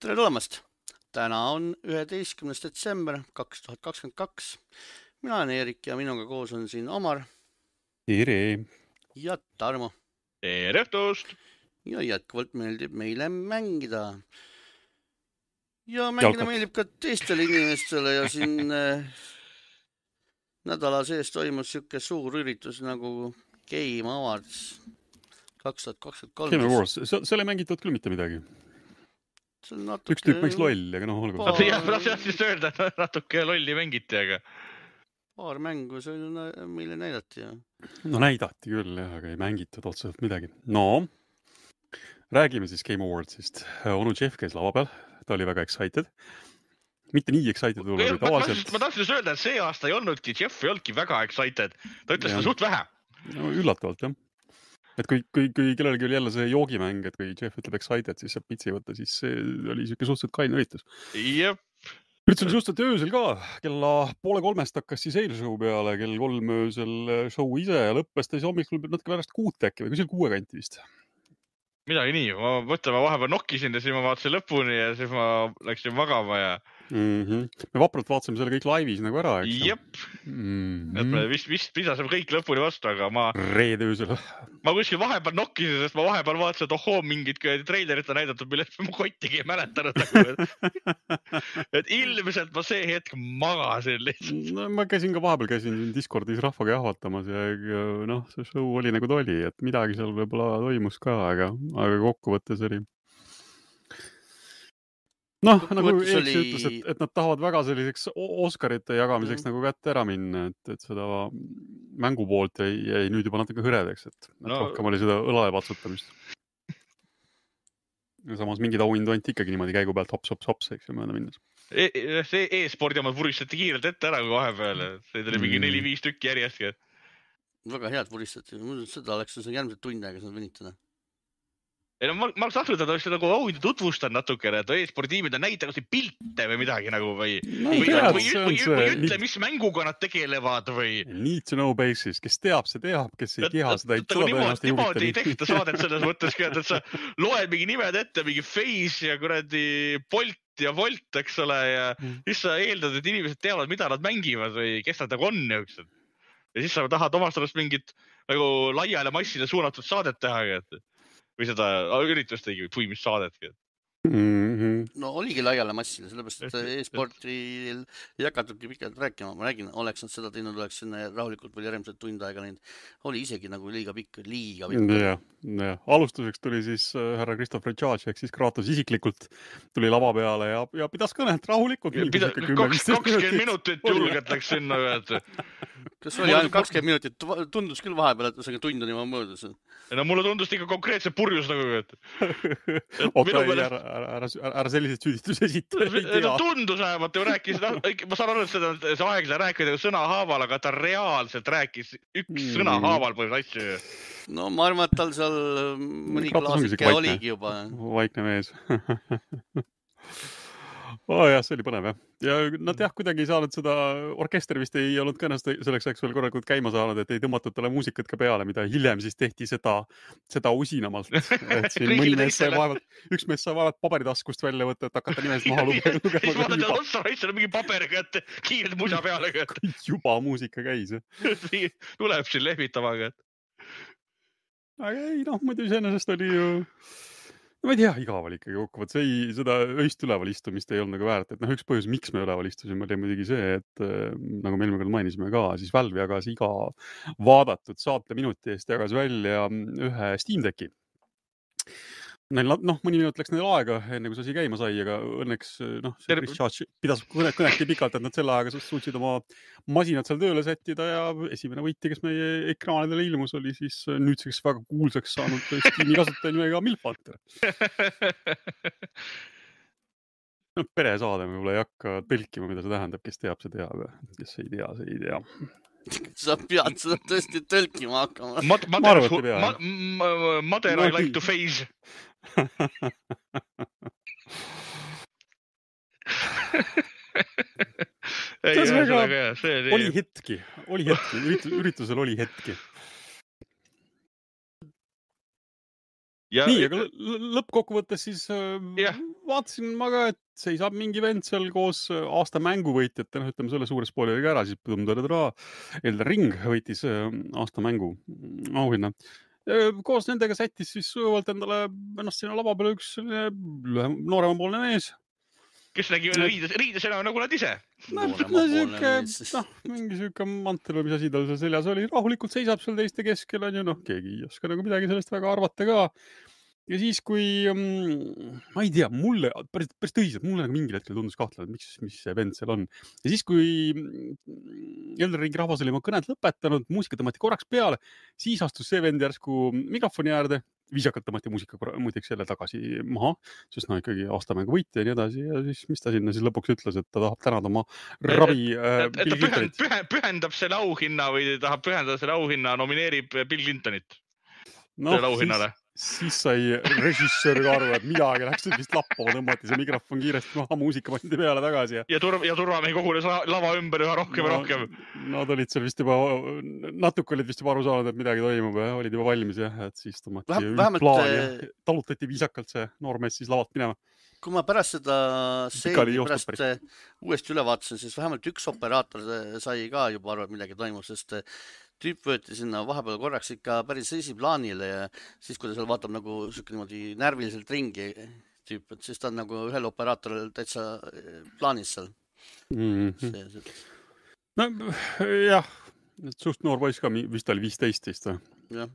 Tere tulemast! Täna on 11. detsember 2022. Mina olen Eerik ja minuga koos on siin Omar Tere! ja Tarmo. Tere õhtust! Ja jätkuvalt meeldib meile mängida. Ja mängida meeldib ka teistele inimestele ja siin nädala sees toimus siuke suur üritus nagu Game Awards 2023. Game Awards, seal ei mängitud küll mitte midagi. Üks tüüp mängis lolli, aga noh, olgu. Ma siis öelda, et natuke lolli mängiti, aga... Paar mängu see meile näidati. Ja. No näidati küll, jah, aga ei mängitud otseselt midagi. No, räägime siis Game Awardsist. Onu Jeff käis lava peal, ta oli väga excited. Mitte nii excited oli tavaliselt. Ma tahtsin öelda, et see aasta ei olnudki, Jeff ei olnudki väga excited. Ta ütles seda suht vähe. No, üllatavalt, jah. Et kui kellelgi oli jälle see joogimäng, et kui Jeff ütleb excited, siis saab pitsi võtta, siis see oli siuke suhteliselt kaine üritus. Jep. Üritus oli suhteliselt öösel ka. Kella 2:30 hakkas siis eilshow peale, kell 3 öösel show ise ja lõppes ta siis hommikul natuke pärast 6 äkki või kuskil 6 kanti vist. Midagi nii. Ma mõtlen, ma vahepeal nokkisin ja siis ma vaatasin lõpuni ja siis ma läksin magama ja... Me vapralt vaatasime selle kõik laivis nagu ära, eks? Jep. Et me vist pidasime kõik lõpuni vastu, aga ma... Reede öösel. Ma kuskil vahepeal nokkisin, sest ma vahepeal vaatasin, et ohoo, mingid treilerit on näidatud, millest ma kottigi ei mäletanud. Et ilmselt ma see hetk magasin lihtsalt. No, ma käisin Discordis rahvaga jahvatamas ja noh, see show oli nagu ta oli, et midagi seal võib-olla toimus ka, aga kokkuvõttes oli... Noh, nagu Eeks ütles, et nad tahavad väga selliseks Oscarite jagamiseks nagu kätte ära minna, et seda mängupoolt jäi nüüd juba natuke hõredaks, et rohkem oli seda õlale patsutamist. Ja samas mingid auhind anti ikkagi niimoodi käigu pealt hops, eks ju mööda minnes. See e-spordi omad vuristati kiirelt ette ära kui vahepeal, see oli mingi 4-5 tükki järjestki. Väga head vuristati, seda oleks järgmised tund aega saanud venitada. Ei no ma tahtnud, et oleks nagu auhindu tutvustan natukene, et e-sportiimid on näita kas pilte või midagi nagu või ütle, mis mänguga nad tegelevad või... Need to know basis, kes teab, see teab, kes ei tea, seda ei tõenäoliselt niimoodi ei tehta saadet selles mõttes, et sa loed mingi nimed ette, mingi Face ja kuradi Bolt ja Volt, eks ole, ja siis sa eeldad, et inimesed teavad, mida nad mängivad või kes nad nagu on jõuksed. Ja siis sa tahad omast arvast mingit nagu laiale massile suunatud saadet teha, või seda üritust tegi, või mis saadetki. No oligi laiale massile, sellepärast, et e-sportil ei hakatudki pikalt rääkima. Ma räägin, oleks nad seda teinud, oleks sinna rahulikult veel järgmised tund aega neid. Oli isegi nagu liiga pikk. Ja. Alustuseks tuli siis härra Christopher Judge, ehk siis Kratos isiklikult tuli lava peale ja pidas kõnet rahulikult. 20 minutit julgelt läks sinna. Kas oli ainult 20 minutit? Tundus küll vahepeal, et see tund on juba möödas. No mulle tundus ikka konkreetse purjus nagu. Ära sellised süüdistus esita. Tundus vähemalt, ju rääkis, ma saan aru, et see aeg seda rääkida sõna haaval, aga ta reaalselt rääkis üks sõna haaval põhjus asju. No ma arvan, et tal seal mõni klaasike oligi juba. Vaikne mees. Jah, see oli põnev, jah. Ja nad kuidagi ei saanud seda, orkester vist ei olnud ka ennast selleks ajaks veel korralikult käima saanud, et ei tõmmatud talle muusikat ka peale, mida hiljem siis tehti seda usinamalt. Et siin mõni mees sai vaevalt, üks mees sai vaevalt paberitaskust välja võtta, et hakata nimest maha lugema. Siis vaadad, et otsa raitsel mingi paberiga, et kiired musa peale. Juba muusika käis. Tuleb siin lehvitamaga. Aga ei, noh, muidu iseenesest oli ju... No ma ei tea, igav oli ikkagi kokkuvõtt. Seda öist üleval istumist ei olnud nagu väärt. Et üks põhjus, miks me üleval istusime, oli muidugi see, et nagu me eelmine kord mainisime ka, siis Valve jagas iga vaadatud saate minuti eest jagas välja ühe Steam Decki. Neil, mõni minut läks neil aega, enne kui see asi käima sai, aga õnneks see Chris Judge pidas kõnekti pikalt, et nad selle aega suutsid oma masinad seal tööle sättida ja esimene võiti, kes meie ekraanidele ilmus, oli siis nüüdseks väga kuulsaks saanud Steam'i kasutaja nimega Milfanter. Peresaade me võib-olla ei hakka tõlkima, mida see tähendab, kes teab, see teab, kes ei tea, see ei tea. Sa pead seda tõesti tõlkima hakkama. Mother I like to face. Oli hetki, üritusel oli hetki. Nii, aga lõppkokkuvõttes siis vaatasin ma ka, et seisab mingi vend seal koos aasta mänguvõitjate, ütleme selle suure spoileriga ära, siis Elden Ring võitis aasta mängu auhinna. Koos nendega sättis siis sujuvalt endale ennast sinna lava peale üks nooremapoolne mees. Kes nägi riides enam nagu nad ise. Mingi süke mantel või mis asi tal seal seljas oli. Rahulikult seisab seal teiste keskel, on ju, keegi ei oska nagu midagi sellest väga arvata ka. Ja siis, kui, ma ei tea, mulle, päris tõsiselt, mulle nagu mingil hetkel tundus kahtlema, et mis see vend seal on. Ja siis, kui Elden Ringi rahvas oli oma kõned lõpetanud, muusika tõmmati korraks peale, siis astus see vend järsku mikrofoni äärde, viisakalt tõmmati muusika muideks jälle tagasi maha, sest ikkagi aastamängu võitja ja nii edasi. Ja siis, mis ta sinna siis lõpuks ütles, et ta tahab tänada oma ravi Bill Clintonit. Pühendab selle auhinna või tahab pühendada selle auhinna, nomineerib Bill Clintonit selle auhinnale. Siis sai režissöör ka aru, et midagi läks vist lappama, tõmmati see mikrofon kiiresti maha, muusika pandi peale tagasi. Ja turvamehi kogunes lava ümber üha rohkem ja rohkem. Nad olid seal vist juba, natuke olid vist juba aru saanud, et midagi toimub ja olid juba valmis, et siis tõmmati plaan ja talutati viisakalt see noormees siis lavalt minema. Kui ma pärast seda uuesti üle vaatasin, siis vähemalt üks operaator sai ka juba aru, et midagi toimub, sest tüüp võeti sinna vahepeal korraks ikka päris esiplaanile ja siis, kui ta seal vaatab nagu niimoodi närviliselt ringi tüüp, et siis ta on nagu ühel operaatoril täitsa plaanis seal. No jah, suht noor poiss ka, vist oli 15 vist. Jah.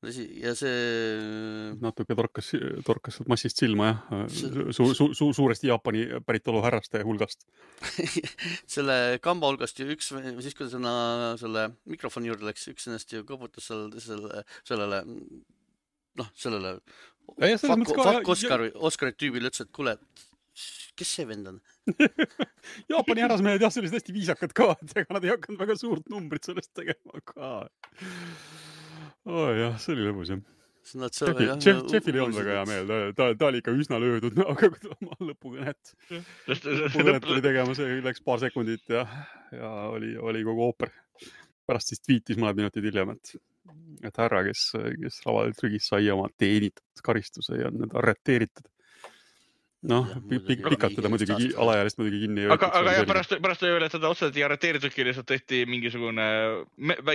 Ja see... Natuke torkas massist silma, suuresti Jaapani päritolu härraste hulgast. Selle kamba hulgast ju üks, siis kui selle mikrofoni juurde läks, üks ennast ju kõputas sellele Oscari tüübile ütles, et kuule, kes see vend on? Jaapani härrasmehed jah, sellist hästi viisakad ka, et ega nad ei hakanud väga suurt numbrit sellest tegema ka. jah, see oli lõbus, jah. Jeffil ei olnud väga hea meel, ta oli ikka üsna löödud, aga kui ta oma lõpukõnet tuli tegema, see läks paar sekundit ja oli kogu ooper. Pärast siis tweetis mõned minutid hiljem, et härra, kes lavalt rügis sai oma teenitud karistuse ja need arreteeritud. Pikalt teda muidugi alaealist muidugi kinni ei võetud. Aga pärast ei ole, et teda otseselt ei arreteeritudki, lihtsalt tehti mingisugune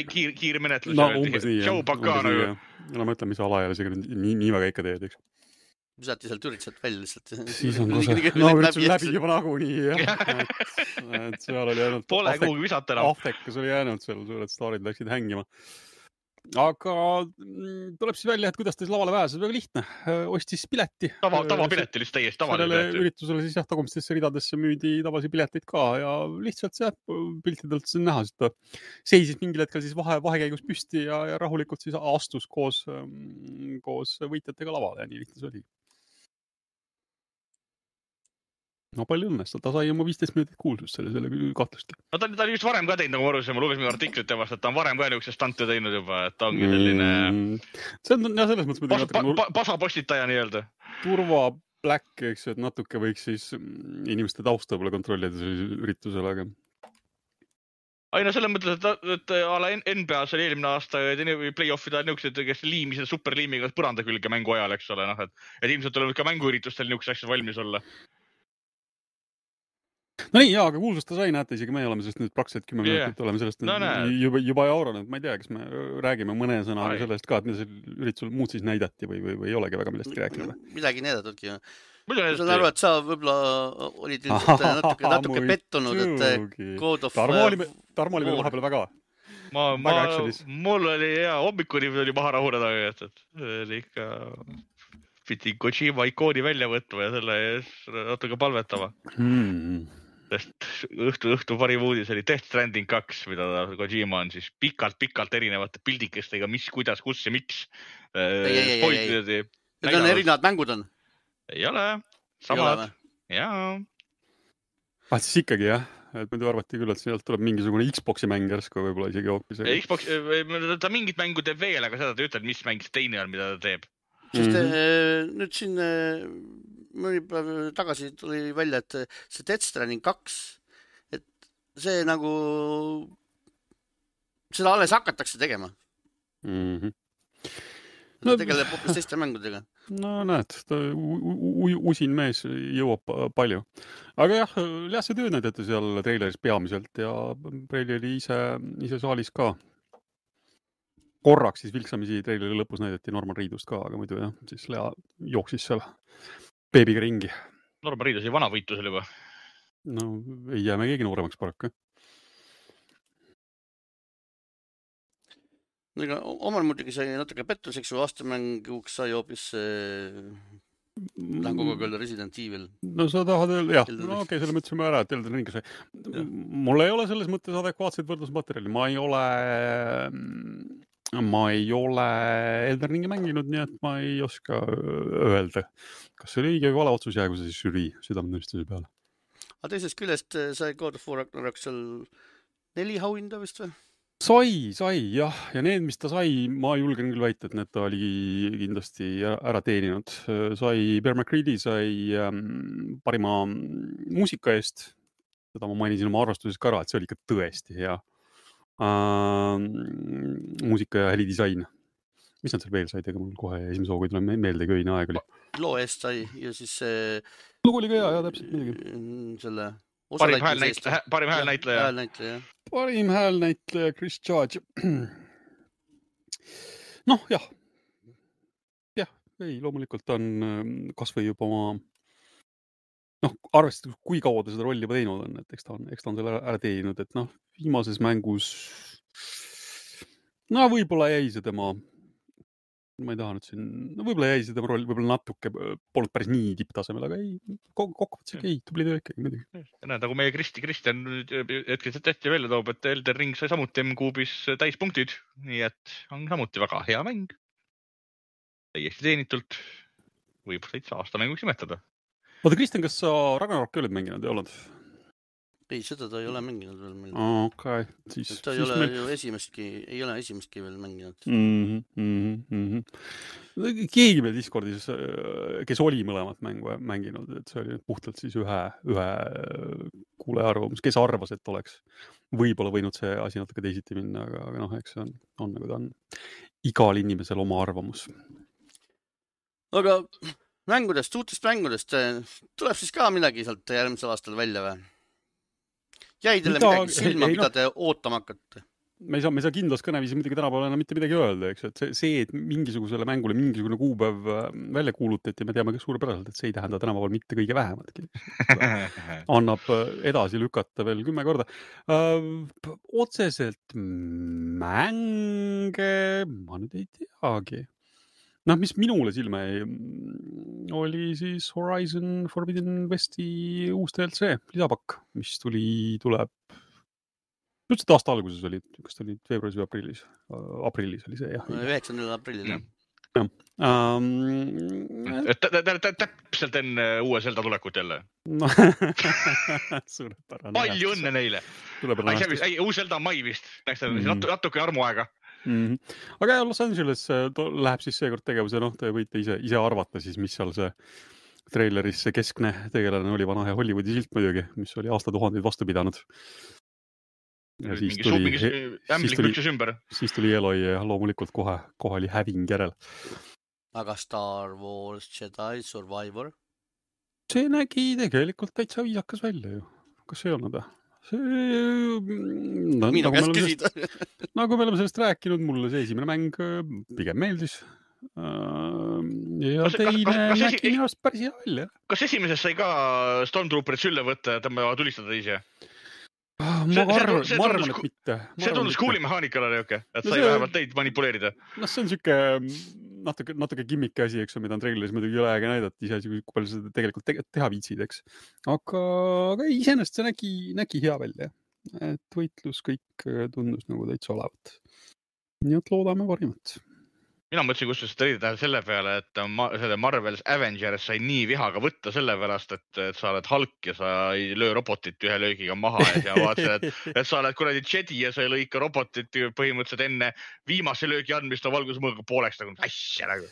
kiire menetlus. Umbes nii, jah. Ma mõtlen, mis alaealisega nii väga ikka teed, eks. Visati sealt üritselt välja lihtsalt. Siis on üritsul läbi juba nagunii, jah. Et seal oli jäänud... Pole kuhugi visata enam. Aftekas oli jäänud seal, suured staarid läksid hängima. Aga tuleb siis välja, et kuidas ta siis lavale pääses, väga lihtne. Ostis pileti. Tavapileti lihtsalt täiesti tavaline pileti. Sellele üritusele siis jah, tagumistesse ridadesse müüdi tavalisi pileteid ka ja lihtsalt see piltidelt siin näha, et ta seisis mingil hetkel siis vahekäigus püsti ja rahulikult siis astus koos võitjatega lavale ja nii lihtne see oli. Palju õnnest, ta sai oma 15 minutit kuulsust selle kahtlustki. Ta oli just varem ka teinud, nagu ma arusin, ma lugesin minu artiklit temast, et ta on varem ka niisuguse stante teinud juba, et ta ongi selline... See on jah, selles mõttes... Pasapostitaja nii-öelda. Turva black, eks, et natuke võiks siis inimeste tausta võib-olla kontrollida sellisel üritusel, aga... selles mõttes, et ala NBA-s oli eelmine aasta play-offida niisugused, kes liimisid superliimiga põranda külge mängu ajal, eks ole, et ilmselt tuleb ka mänguüritustel niisugused asjad valmis olla. No nii, aga kuulsust ta sai, näete, isegi me oleme sellest nüüd praktiliselt 10 minutit oleme sellest juba jauranud. Ma ei tea, kas me räägime mõne sõnaga sellest ka, et mida see üritusel muud siis näidati või ei olegi väga millestki rääkinud. Midagi näidatudki. Ma saan aru, et sa võib-olla olid natuke pettunud, et God of... Tarmo oli veel vahepeal väga mul oli hea, hommikuni oli maha rahuneda, et oli ikka... pidi Kojima ikooni välja võtma ja selle natuke palvetama. Sest õhtu parim uudis oli Death Stranding 2, mida Kojima on siis pikalt erinevate pildikestega, mis, kuidas, kus ja miks. Need on erinevad mängud on? Ei ole, samad. Jaa. Siis ikkagi jah, et muidu arvati küll, et sealt tuleb mingisugune Xboxi mäng järsku võib-olla isegi hoopis. Xbox, ta mingit mängu teeb veel, aga seda ta ütleb, mis mäng teine on, mida ta teeb. Sest nüüd siin mõni päev tagasi tuli välja, et see Death Stranding 2, et see nagu, seda alles hakatakse tegema. ta tegeleb hoopis teiste mängudega. No näed, ta usin mees jõuab palju. Aga jah, see töö näidati seal treileris peamiselt ja Preili oli ise saalis ka. Korraks siis vilksamisi treileri lõpus näidati Norman Reedust ka, aga muidu jah, siis Lea jooksis seal beebiga ringi. Norman Reedus oli vana võitlusel juba. No ei jää me keegi nooremaks paraku. Ega omal muidugi sai natuke pettuseks, kui aastamänguks sai hoopis lähen kogu aeg öelda Resident Evil. No sa tahad öelda, jah, no okei, selle mõtlesime ära, et Elden Ring sai. Mul ei ole selles mõttes adekvaatseid võrdlusmaterjali. Ma ei ole Elden Ringi mänginud, nii et ma ei oska öelda, kas see oli õige või vale otsus jäägu see siis žürii südametunnistuse peale. Aga teisest küljest sai God of War Ragnarok seal 4 auhinda vist või? Sai, jah. Ja need, mis ta sai, ma julgen küll väita, et need ta oli kindlasti ära teeninud. Sai Bear McCready, sai parima muusika eest. Seda ma mainisin oma arvastuses ka ära, et see oli ikka tõesti hea. Muusika ja helidisain. Mis nad seal veel sai tega? Mul kohe esimese hooga ei tule meelde, kui õine aeg oli. Loo eest sai ja siis lugu oli ka hea, täpselt midagi. Selle parim häälnäitleja. Parim häälnäitleja Chris Judge. Noh, jah. Jah, ei, loomulikult on kasvõi juba oma arvestades, kui kaua ta seda rolli juba teinud on, et eks ta on selle ära teeninud, et viimases mängus võib-olla jäi see tema ma ei taha nüüd siin, võib-olla jäi see tema roll, võib-olla natuke polnud päris nii tipptasemel, aga ei, kokkuvõttes ei, tubli töö ikkagi midagi. Nagu meie Kristjan hetkeliselt hästi välja toob, et Elden Ring sai samuti M-kuubis täispunktid, nii et on samuti väga hea mäng. Täiesti teenitult võib täitsa aastamänguks nimetada. Oota, Kristjan, kas sa Ragnarokki oled mänginud ja oled? Ei, seda ta ei ole mänginud veel meil. Okay. Ta ei ole ju esimestki veel mänginud. Keegi meil Discordis, kes oli mõlemat mängu mänginud, et see oli puhtalt siis ühe kuule arvamus, kes arvas, et oleks võib-olla võinud see asi natuke teisiti minna, aga eks see on nagu ta on. Igal inimesel oma arvamus. Aga uutest mängudest tuleb siis ka midagi sealt järgmisel aastal välja või? Jäi teile midagi silma, mida te ootama hakkate? Me ei saa kindlas kõneviisi muidugi tänapäeval enam mitte midagi öelda, eks, et see, et mingisugusele mängule mingisugune kuupäev välja kuulutati, me teame suurepäraselt, et see ei tähenda tänapäeval mitte kõige vähematki. Annab edasi lükata veel 10 korda. Otseselt mänge, ma nüüd ei teagi. Mis minule silme oli siis Horizon Forbidden Westi uus DLC, lisapakk, mis tuleb üldse aasta alguses oli, kas ta oli veebruaris või aprillis? Aprillis oli see, jah. 9. aprillil, jah. Täpselt enne uue Zelda tulekut jälle. Suurepärane. Palju õnne neile. Uus Zelda on mai vist, natuke armuaega. Aga Los Angeles läheb siis seekord tegevuse, te võite ise arvata siis, mis seal see treileris see keskne tegelane oli, vana hea Hollywoodi silt muidugi, mis oli aastatuhandeid vastu pidanud. Ja siis tuli Eloi ja loomulikult kohe oli häving järel. Aga Star Wars Jedi Survivor? See nägi tegelikult täitsa viisakas välja ju. Kas ei olnud? Minu käest küsida. Nagu me oleme sellest rääkinud, mulle see esimene mäng pigem meeldis. Ja teine nägi minu arust päris hea välja. Kas esimeses sai ka Stormtrooperit sülle võtta ja tõmbava tulistada ise? Ma arvan, et mitte. See tundus kuuli mehaanikale, et sai vähemalt teid manipuleerida. See on siuke natuke gimmick asi, eks, mida on treileris muidugi üle aega näidati, ise kui palju seda tegelikult teha viitsid, eks. Aga iseenesest see nägi hea välja. Et võitlus kõik tundus nagu täitsa olevat. Nii et loodame parimat. Mina mõtlesin kustus teida selle peale, et selle Marvel's Avengers sai nii vihaga võtta selle pärast, et sa oled Hulk ja sa ei löö robotit ühe löögiga maha ja vaatasid, et sa oled kuradi Jedi ja sa ei lõika robotit põhimõtteliselt enne viimase löögi andmist on valgusmõõga pooleks nagu asja nagu.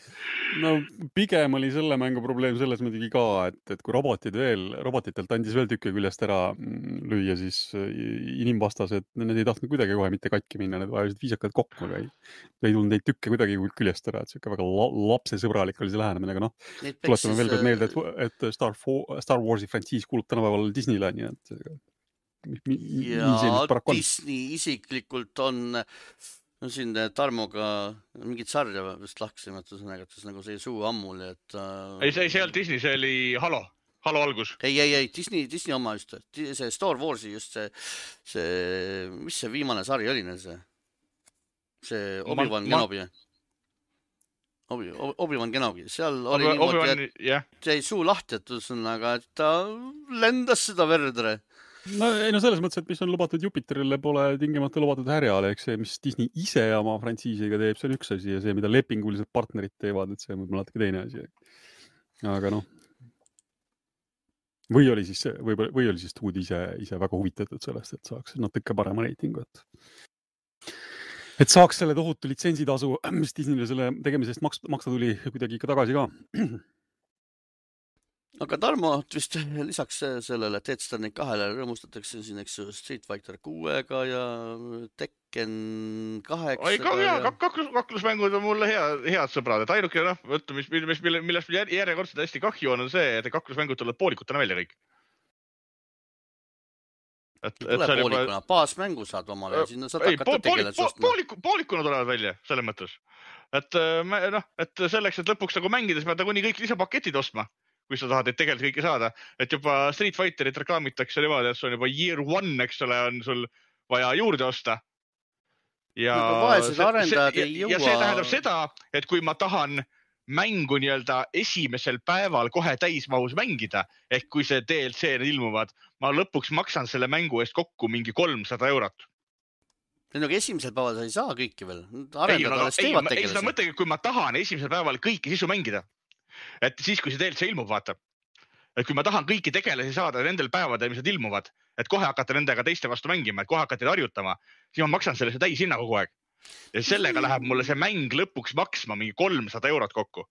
No pigem oli selle mängu probleem selles muidugi ka, et kui robotitelt andis veel tükki küljest ära lüüa, siis inimvastased, need ei tahtnud kuidagi kohe mitte katki minna, need vajasid viisakad kokku, aga ei tulnud neid tükke kuidagi küljest ära, et siuke väga lapsesõbralik oli see lähenemine, aga noh, Neid tuletame veel kord meelde, peksis et Star Warsi frantsiis kuulub tänapäeval Disneyle, nii et nii see ja nüüd paraku on. Disney isiklikult on no siin Tarmoga mingit sarja vist lahksime, et ühesõnaga, et nagu see suu ammuli, et Ei, see ei olnud Disney, see oli Halo algus. ei, Disney oma just, see Star Warsi just see, mis see viimane sari oli neil see Obi-Wan Kenobi. Obi-Wan Kenobi, seal oli niimoodi, et jah. jäi suu lahti, et ühesõnaga, et ta lendas seda verdre. No selles mõttes, et mis on lubatud Jupiterile, pole tingimata lubatud härjale, eks see, mis Disney ise oma frantsiisiga teeb, see on üks asi ja see, mida lepingulised partnerid teevad, et see on võib-olla natuke teine asi. Aga noh, või oli siis stuudi ise väga huvitatud sellest, et saaks natuke parema reitingu, et saaks selle tohutu litsentsitasu, mis Disneyle selle tegemisest maksta tuli kuidagi ikka tagasi ka. Aga Tarmo, vist lisaks sellele Death Stranding 2-le rõõmustatakse siin, eks ju, Street Fighter 6-ga ja Tekken 8-ga. Ei, kaklusmängud on mulle head sõbrad, et ainuke, millest järjekordselt hästi kahju on see, et kaklusmängud tulevad poolikutena välja kõik. Tule poolikuna, baasmängu saad omale ja sinna saad hakata tegeled sostma. Poolikuna tulevad välja, selles mõttes. Et selleks, et lõpuks nagu mängides pead kuni kõik lisapaketid ostma, kui sa tahad, et tegelikult kõike saada. Et juba Street Fighterit reklaamitakse niimoodi, et see on juba year one, eks ole, on sul vaja juurde osta. Ja vaesed arendajad ei jõua. Ja see tähendab seda, et kui ma tahan mängu esimesel päeval kohe täismahus mängida, ehk kui see DLC ilmuvad, ma lõpuks maksan selle mängu eest kokku mingi 300 €. Aga esimesel päeval sa ei saa kõiki veel. Arendajad alles teevad tegelasi. Seda mõttega, kui ma tahan esimesel päeval kõiki sisu mängida, et siis, kui see DLC ilmub, vaata, et kui ma tahan kõiki tegelasi saada nendel päevadel, mis nad ilmuvad, et kohe hakata nendega teiste vastu mängima, et kohe hakata harjutama, siis ma maksan selle täishinna kogu aeg. Ja sellega läheb mulle see mäng lõpuks maksma mingi 300 € kokku.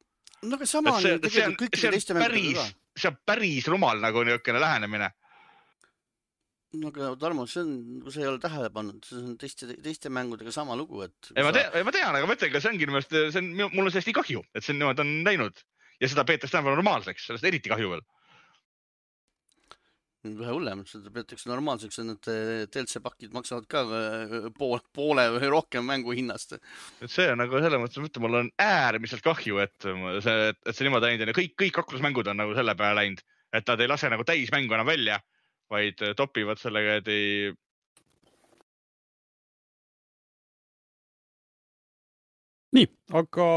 No aga sama on tegelikult kõikide teiste mängudega ka. See on päris rumal nagu niisugune lähenemine. No aga Tarmo, see ei ole tähele pannud, see on teiste mängudega sama lugu, et... Ma tean, aga mõtlengi, see ongi mul on sellest nii kahju, et see niimoodi on läinud ja seda peetakse tänapäeval normaalseks, sellest eriti kahju veel. Vähe hullem, seda peetakse normaalseks, et need DLC-pakid maksavad ka poole või rohkem mängu hinnast. See on nagu selle mõttes, mul on äärmiselt kahju, et see niimoodi läinud ja kõik kaklusmängud on nagu selle peale läinud, et nad ei lase nagu täismängu enam välja, vaid topivad sellega, et ei... Nii, aga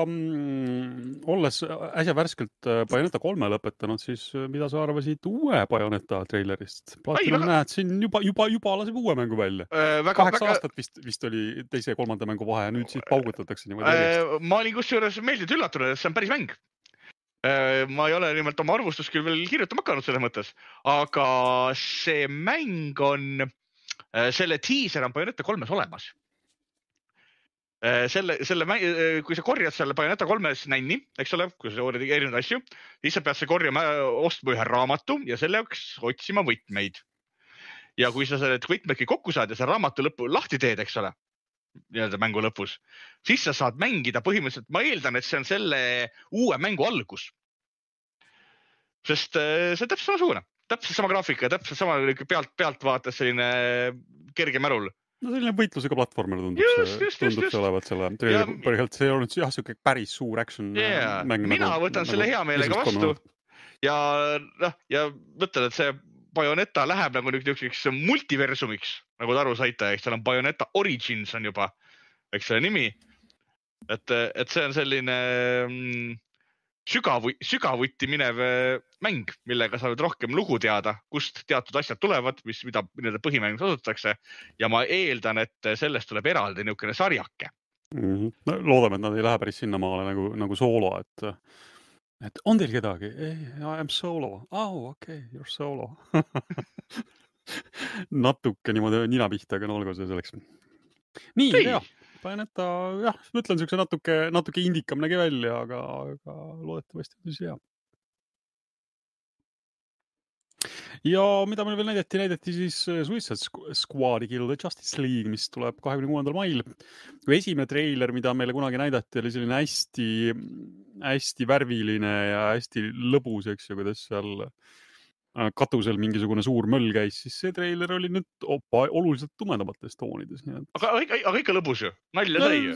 olles äsja värskelt Bayonetta 3 lõpetanud, siis mida sa arvasid uue Bayonetta trailerist? Platinum näed, siin juba laseb uue mängu välja. 8 aastat vist oli teise ja kolmanda mängu vahe ja nüüd siis paugutatakse niimoodi. Ma olin kusjuures meeldinud üllatunud, et see on päris mäng. Ma ei ole nimelt oma arvustust küll veel kirjutama hakanud selles mõttes, aga see mäng on, selle teaser on Bayonetta 3-s olemas. Kui sa korjad selle Bayonetta 3-s nänni, eks ole, kui sa korjad erinevaid asju, siis sa pead see korjama, ostma ühe raamatu ja selle jaoks otsima võtmeid. Ja kui sa selle võtmedki kokku saad ja see raamatu lõppu lahti teed, eks ole, mängu lõpus, siis sa saad mängida põhimõtteliselt, ma eeldan, et see on selle uue mängu algus. Sest see on täpselt samasugune, täpselt sama graafika, täpselt sama pealt vaates selline kerge märul. No selline võitlusega platvormer tundub see olevat selle põhjalt. See on jah, siuke päris suur action mäng. Mina võtan selle hea meelega vastu ja mõtlen, et see Bayonetta läheb nagu niisuguseks multiversumiks, nagu te aru saite, eks seal on Bayonetta Origins on juba, eks selle nimi. Et see on selline sügavuti minev mäng, millega sa võid rohkem lugu teada, kust teatud asjad tulevad, mida põhimängus asutatakse ja ma eeldan, et sellest tuleb eraldi niisugune sarjake. Loodame, et nad ei lähe päris sinnamaale nagu soolo, et on teil kedagi? I am solo. Okay, you're solo. Natuke niimoodi nina pihta, aga olgu see selleks. Nii, jah. Bayonetta, jah, ma ütlen siukse natuke indikam nägi välja, aga loodetavasti on siis hea. Ja mida meil veel näidati siis Suicide Squadi Kill the Justice League, mis tuleb 26. mail. Kui esimene treiler, mida meile kunagi näidati, oli selline hästi värviline ja hästi lõbus, eks ju, kuidas seal katusel mingisugune suur möll käis, siis see treiler oli nüüd oluliselt tumedamates toonides. Aga ikka lõbus ju, nalja sai ju.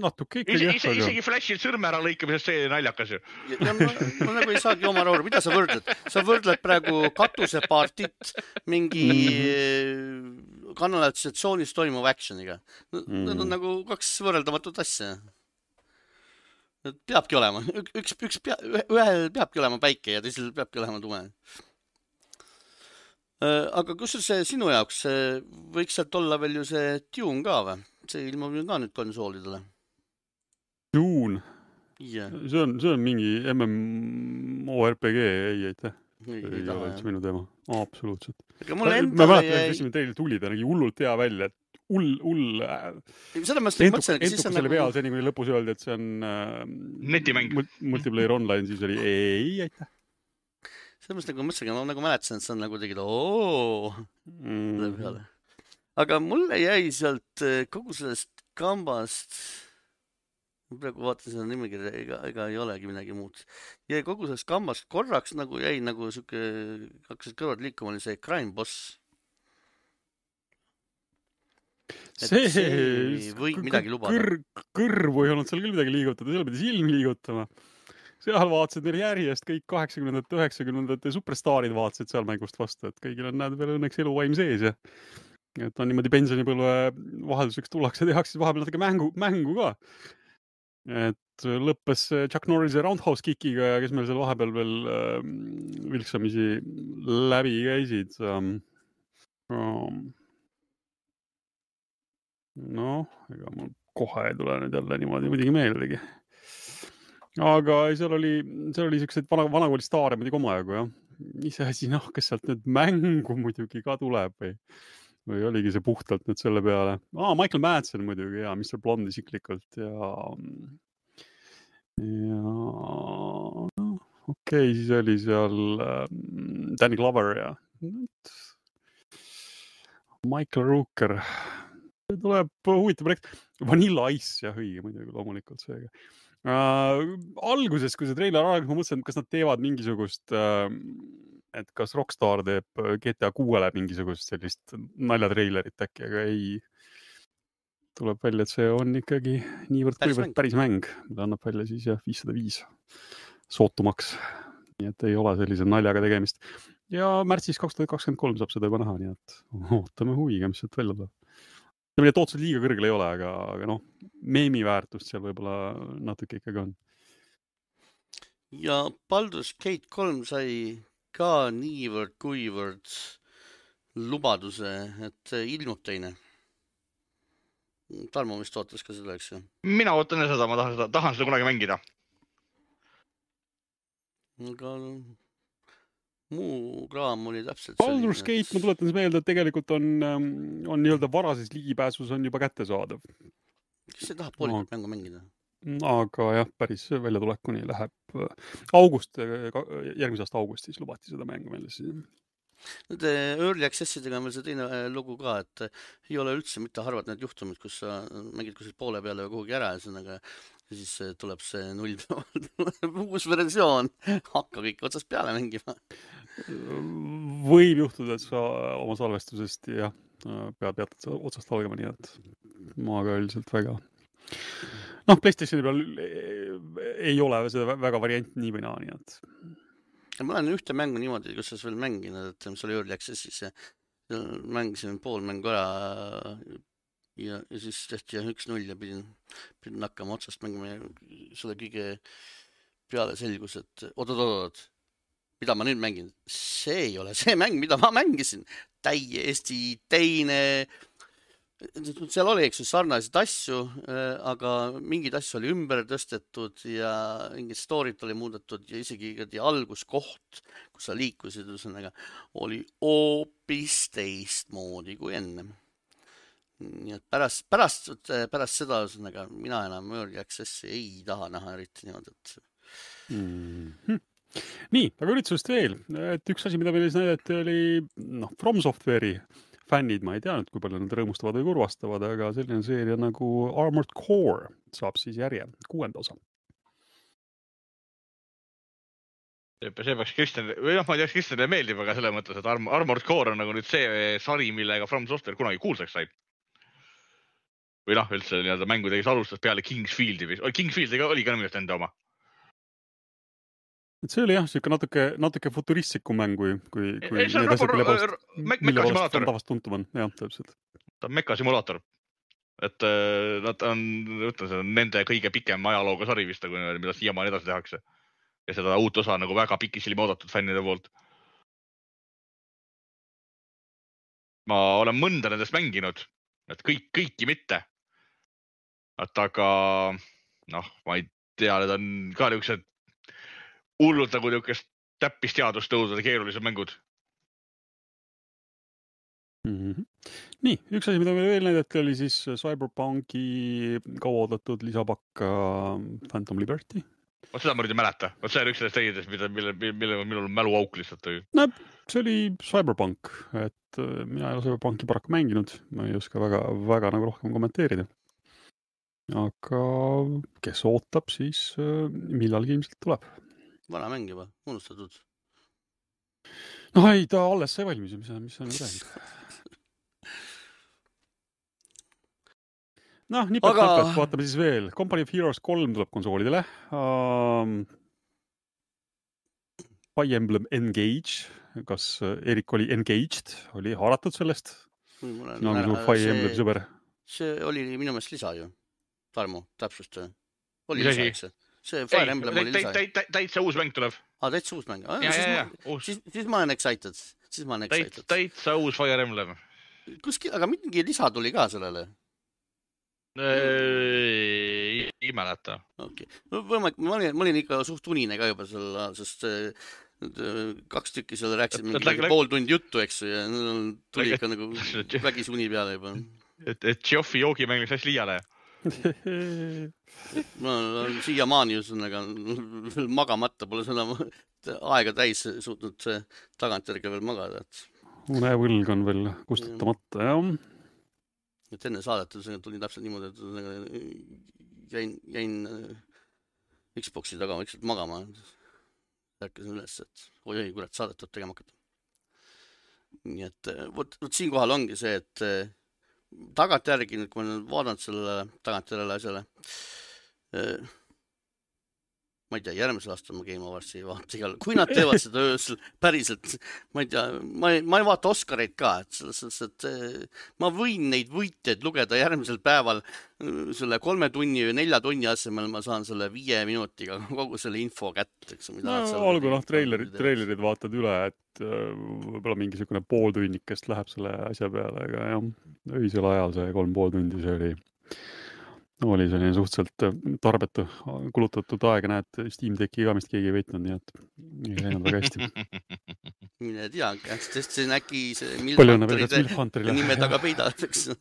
Natuke ikkagi. Isegi Flashil sõrme ära lõikamisest see naljakas ju. Ja ma nagu ei saagi oma aru, mida sa võrdled? Sa võrdled praegu katusepartit mingi kanalisatsioonis toimuva actioniga. Need on nagu kaks võrreldamatut asja. Peabki olema. Ühel peabki olema päike ja teisel peabki olema tume. Aga kus see sinu jaoks võiks sealt olla veel ju see Dune ka või? See ilmub ju ka nüüd konsoolidele. Dune? Yeah. See on mingi MMORPG, ei aitäh. Ei ole üldse minu teema. Absoluutselt. Ma mäletan, et teil tuli ta nägi hullult hea välja, et hull entukas selle peal, seni kui lõpus öeldi, et see on netimäng. Multiplayer online, siis oli ei aitäh. Selles mõttes nagu mõtlesin, ma nagu mäletasin, et see on nagu tegid Aga mulle jäi sealt kogu sellest kambast, praegu vaatan seda nimekirja, ega ei olegi midagi muud. Jäi kogu sellest kambast korraks nagu jäi nagu siuke, hakkasid kõrvad liikuma, oli see Crime Boss. See võib midagi lubada. Kõrvu ei olnud seal küll midagi liigutada, seal pidi silm liigutama. Seal vaatasid neil järjest kõik 80-ndate, 90-ndate superstaarid vaatasid seal mängust vastu, et kõigil on näed veel õnneks eluvaim sees ja et on niimoodi pensionipõlve vahelduseks tullakse ja tehakse vahepeal natuke mängu ka. Et lõppes Chuck Norrise Roundhouse Kickiga ja kes meil seal vahepeal veel vilksamisi läbi käisid. Ega mul kohe ei tule nüüd jälle niimoodi muidugi meeldegi. Aga seal oli sellised vanakooli staare muidugi omajagu, jah. Iseasi, kas sealt nüüd mängu muidugi ka tuleb või oligi see puhtalt nüüd selle peale. Michael Madsen muidugi ja Mr. Blonde isiklikult ja okei, siis oli seal Danny Glover ja Michael Rooker. See tuleb huvitav projekt. Vanilla Ice, jah, õige muidugi loomulikult seega. Alguses, kui see treiler aeg, ma mõtlesin, kas nad teevad mingisugust, et kas Rockstar teeb GTA 6-le mingisugust sellist naljatreilerit äkki, aga ei. Tuleb välja, et see on ikkagi niivõrd päris mäng, mida annab välja siis 505 sootumaks. Nii et ei ole sellise naljaga tegemist. Ja märtsis 2023 saab seda juba näha, nii et ootame huviga, mis sealt välja tuleb. Mille tootselt liiga kõrgel ei ole, aga meemi väärtust seal võib-olla natuke ikkagi on. Ja Baldur's Gate 3 sai ka niivõrd kuivõrd lubaduse, et ilmub teine. Tarmo vist ootas ka seda, eks ju? Mina ootan seda, ma tahan seda kunagi mängida. Aga muu kraam oli täpselt Baldur's Gate, ma tuletan meelde, et tegelikult on nii-öelda varases ligipääsus on juba kättesaadav. Kes see tahab poolikult mängu mängida? Aga jah, päris väljatulekuni läheb järgmise aasta augustis lubati seda mängu meile siis. Need early accessidega on veel see teine lugu ka, et ei ole üldse mitte harvad need juhtumid, kus sa mängid kuskilt poole peale või kuhugi ära ja siis tuleb see uus versioon, hakka kõik otsast peale mängima. Võib juhtuda, et sa oma salvestusest pead otsast algama, nii et ma ka üldiselt väga. PlayStationi peal ei ole seda väga variant nii või naa, nii et. Ma olen ühte mängu niimoodi, kus sa veel mänginud, et mis oli early accessis ja mängisin pool mängu ära ja siis tehti 1-0 ja pidin hakkama otsast mängima ja selle kõige peale selgus, et oot, mida ma nüüd mängin? See ei ole see mäng, mida ma mängisin. Täiesti teine. Seal oli, eks ju, sarnaseid asju, aga mingid asju oli ümber tõstetud ja mingid storyt oli muudetud ja isegi alguskoht, kus sa liikusid, oli hoopis teistmoodi kui enne. Nii et pärast seda mina enam early accessi ei taha näha eriti niimoodi, et Nii, aga üritusest veel, et üks asi, mida meile näidati, oli From Software'i fännid, ma ei tea nüüd, kui palju nad rõõmustavad või kurvastavad, aga selline seeria nagu Armored Core saab siis järje 6. osa. See peaks Kristjan, või ma ei tea, Kristjanile meeldib, aga selle mõttes, et Armored Core on nagu nüüd see sari, millega From Software kunagi kuulsaks sai. Või üldse mängudega alustas peale Kingsfieldi. Kingsfieldiga oli ka nimelt enda oma. Et see oli jah, siuke natuke futuristlikum mäng, kui see on mekasimulaator. Tavast tuntum on, jah, täpselt. Ta on mekasimulaator. Et nad on nende kõige pikem ajalooga sari vist, mida siiamaani edasi tehakse. Ja seda uut osa nagu väga pikisilma oodatud fännide poolt. Ma olen mõnda nendest mänginud, et kõiki mitte. Aga ma ei tea, need on ka niisugused hullult nagu niisugust täppisteadust tõudvad keerulised mängud. Nii, üks asi, mida me veel näidati, oli siis Cyberpunki kauaoodatud lisapakka Phantom Liberty. Seda ma nüüd ei mäleta. See on üks sellest teidest, mille minul mälu auk lihtsalt tõi. No, see oli Cyberpunk, et mina ei ole Cyberpunki paraku mänginud. Ma ei oska väga nagu rohkem kommenteerida. Aga kes ootab, siis millalgi ilmselt tuleb. Vana mäng juba, unustatud. Ei, ta alles sai valmis, mis on räägid. Nipet, vaatame siis veel. Company of Heroes 3 tuleb konsoolidele. Fire Emblem Engage. Kas Erik oli engaged? Oli haaratud sellest? Fire Emblem sõber. See oli minu meelest lisa ju. Tarmo, täpsust. Oli lisa, eks? See Fire Emblem oli lisa. Täitsa uus mäng tuleb. Täitsa uus mäng. Siis ma olen excited. Täitsa uus Fire Emblem. Aga mingi lisa tuli ka sellele. Ei mäleta. Okay. Ma olin ikka suht unine ka juba selle, sest 2 tükki seal rääkisid mingi pool tundi juttu, eks, ja tuli ikka nagu vägis uni peale juba. Et Geoffi joogimäng läks hästi liiale. Ma olen siiamaani veel magamata, pole seda aega täis suutnud tagantjärgi veel magada. Unevõlg on veel kustutamata, jah. Et enne saadet tuli täpselt niimoodi, et jäin Xboxi taga vaikselt magama. Rääkisin üles, et oi, kurat, saadet tuleb tegema hakata. Nii et võt siinkohal ongi see, et tagantjärgi, kui ma olen vaadanud selle tagantjärele asjale, ma ei tea, järgmisel aastal ma Game Awards'i ei vaata igal. Kui nad teevad seda öösel päriselt, ma ei tea, ma ei vaata Oscareid ka, et ma võin neid võitjaid lugeda järgmisel päeval selle 3 tunni või 4 tunni asemel ma saan selle 5 minutiga kogu selle info kätte. Olgu treilerid vaatad üle, et võib-olla mingisugune pooltunnikest läheb selle asja peale, aga jah, öisel ajal see 3,5 tundi see oli selline suhteliselt tarbetu kulutatud aega, näed, Steam Decki ka vist keegi ei veitnud, nii et ei läinud väga hästi. Mine tea, sest see on äkki see Milfanteride nime taga peidad, eks.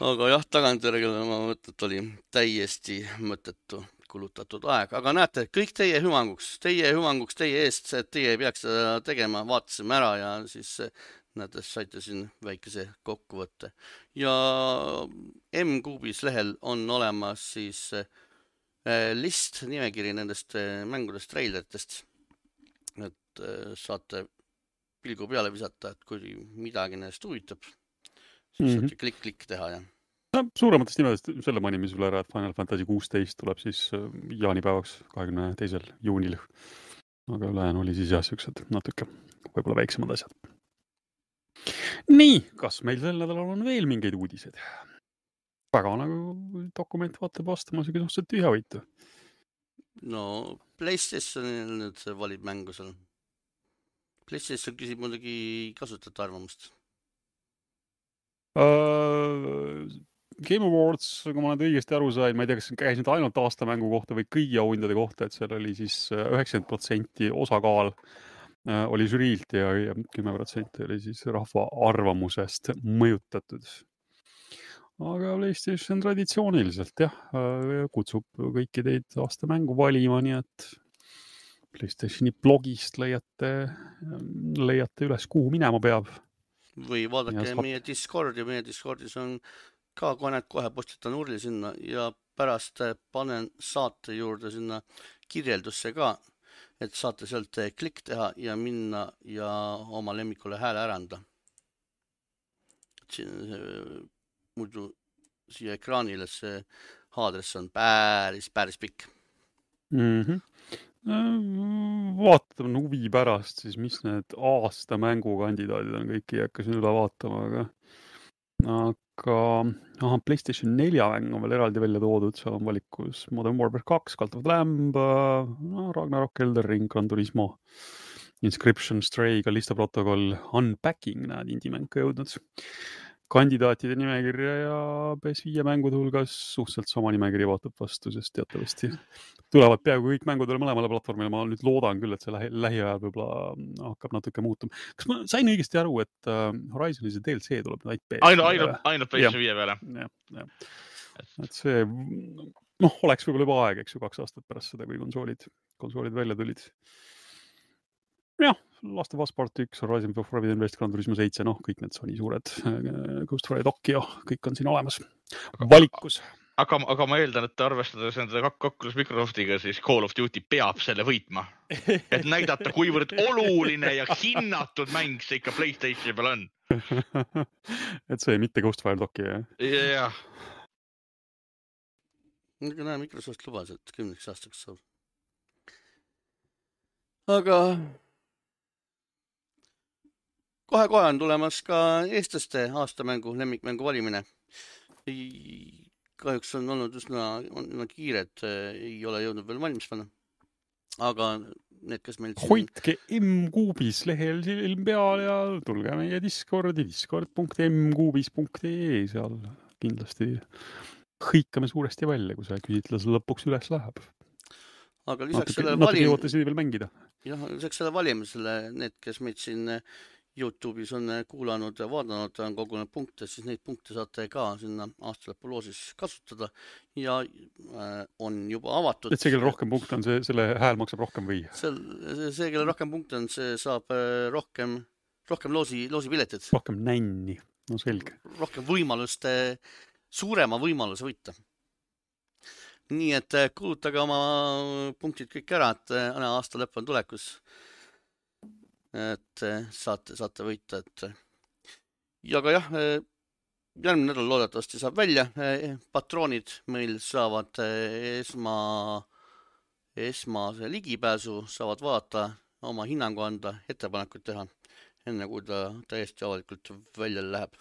Aga jah, tagantjärgele ma mõtlen, et oli täiesti mõttetu kulutatud aeg. Aga näete, kõik teie hüvanguks, teie eest, et teie ei peaks seda tegema, vaatasime ära ja siis näete, saite siin väikese kokkuvõtte. Ja M-Kuubis lehel on olemas siis list, nimekiri nendest mängudest, treileritest. Et saate pilgu peale visata, et kui midagi nendest huvitab, siis saate klikk teha. Ja. Suurematest nimedest selle manime sulle ära, et Final Fantasy 16 tuleb siis jaanipäevaks 22. juunil. Aga ülejäänu oli siis jah, siuksed natuke võib-olla väiksemad asjad. Nii, kas meil sel nädalal on veel mingeid uudiseid? Väga nagu dokument vaatab vastama siuke suhteliselt tühjavõitu. No, PlayStation nüüd valib mängu seal. PlayStation küsib muidugi kasutajate arvamust. Game Awards, kui ma olen õigesti aru sain, ma ei tea, kas käis nüüd ainult aastamängu kohta või kõigi auhindade kohta, et seal oli siis 90% osakaal oli žüriilt ja 10% oli siis rahva arvamusest mõjutatud. aga PlayStation traditsiooniliselt jah, kutsub kõiki teid aasta mängu valima, nii et PlayStationi blogist leiate üles, kuhu minema peab. Või vaadake meie Discordi, meie Discordis on ka kohe postitan urli sinna ja pärast panen saate juurde sinna kirjeldusse ka, et saate sealt klikk teha ja minna ja oma lemmikule hääle ära anda. Muidu siia ekraanile see aadress on päris pikk. Vaatame huvi pärast siis, mis need aasta mängukandidaadid on, kõiki ei hakka siin üle vaatama, aga PlayStation 4 mäng on veel eraldi välja toodud, seal on valikus Modern Warfare 2, Cult of the Lamb, Ragnarok, Elden Ring, Gran Turismo, Inscription, Stray, Callisto Protocol, Unpacking, näed, indie-mäng ka jõudnud. Kandidaatide nimekirja ja PS5 mängude hulgas suhteliselt sama nimekirja vaatab vastu, sest teatavasti tulevad peaaegu kõik mängud mõlemale platvormile. Ma nüüd loodan küll, et see lähiajal võib-olla hakkab natuke muutuma. Kas ma sain õigesti aru, et Horizoni see DLC tuleb nüüd ainult PS5 peale? Jah. Et see oleks võib-olla juba aeg, eks ju, 2 aastat pärast seda, kui konsoolid välja tulid. Jah, Last of Us Part 1, Horizon Forbidden West, Gran Turismo 7, kõik need Sony suured, Ghost Rider Tokyo, kõik on siin olemas valikus. Aga ma eeldan, et arvestades nende kokkulus Microsoftiga, siis Call of Duty peab selle võitma. Et näidata, kuivõrd oluline ja hinnatud mäng see ikka PlayStationi peal on. Et see mitte Ghost Rider Tokyo, jah? Jah. Näe, Microsoft lubas, et 10 aastaks saab. Aga kohe on tulemas ka eestlaste aastamängu, lemmikmängu valimine. Kahjuks on olnud üsna kiired, ei ole jõudnud veel valmis panna. Aga need, kes meil siin... Hoidke M-kuubis lehel silm peal ja tulge meie Discordi, discord.mkuubis.ee, seal kindlasti hõikame suuresti välja, kui see küsitlus lõpuks üles läheb. Aga lisaks selle valimisele, need, kes meid siin YouTube'is on kuulanud ja vaadanud, on kogunenud punkte, siis neid punkte saate ka sinna aastalõpu loosis kasutada ja on juba avatud. Et see, kelle rohkem punkte on, selle hääl maksab rohkem või? See, kelle rohkem punkte on, see saab rohkem loosipiletid. Rohkem nänni, no selge. Rohkem võimalust, suurema võimaluse võita. Nii et kuulutage oma punktid kõik ära, et aasta lõpp on tulekus. Et saate võita. Ja ka jah, järgmine nädal loodetavasti saab välja. Patroonid meil saavad esmase ligipääsu, saavad vaadata, oma hinnangu anda, ettepanekuid teha, enne kui ta täiesti avalikult välja läheb.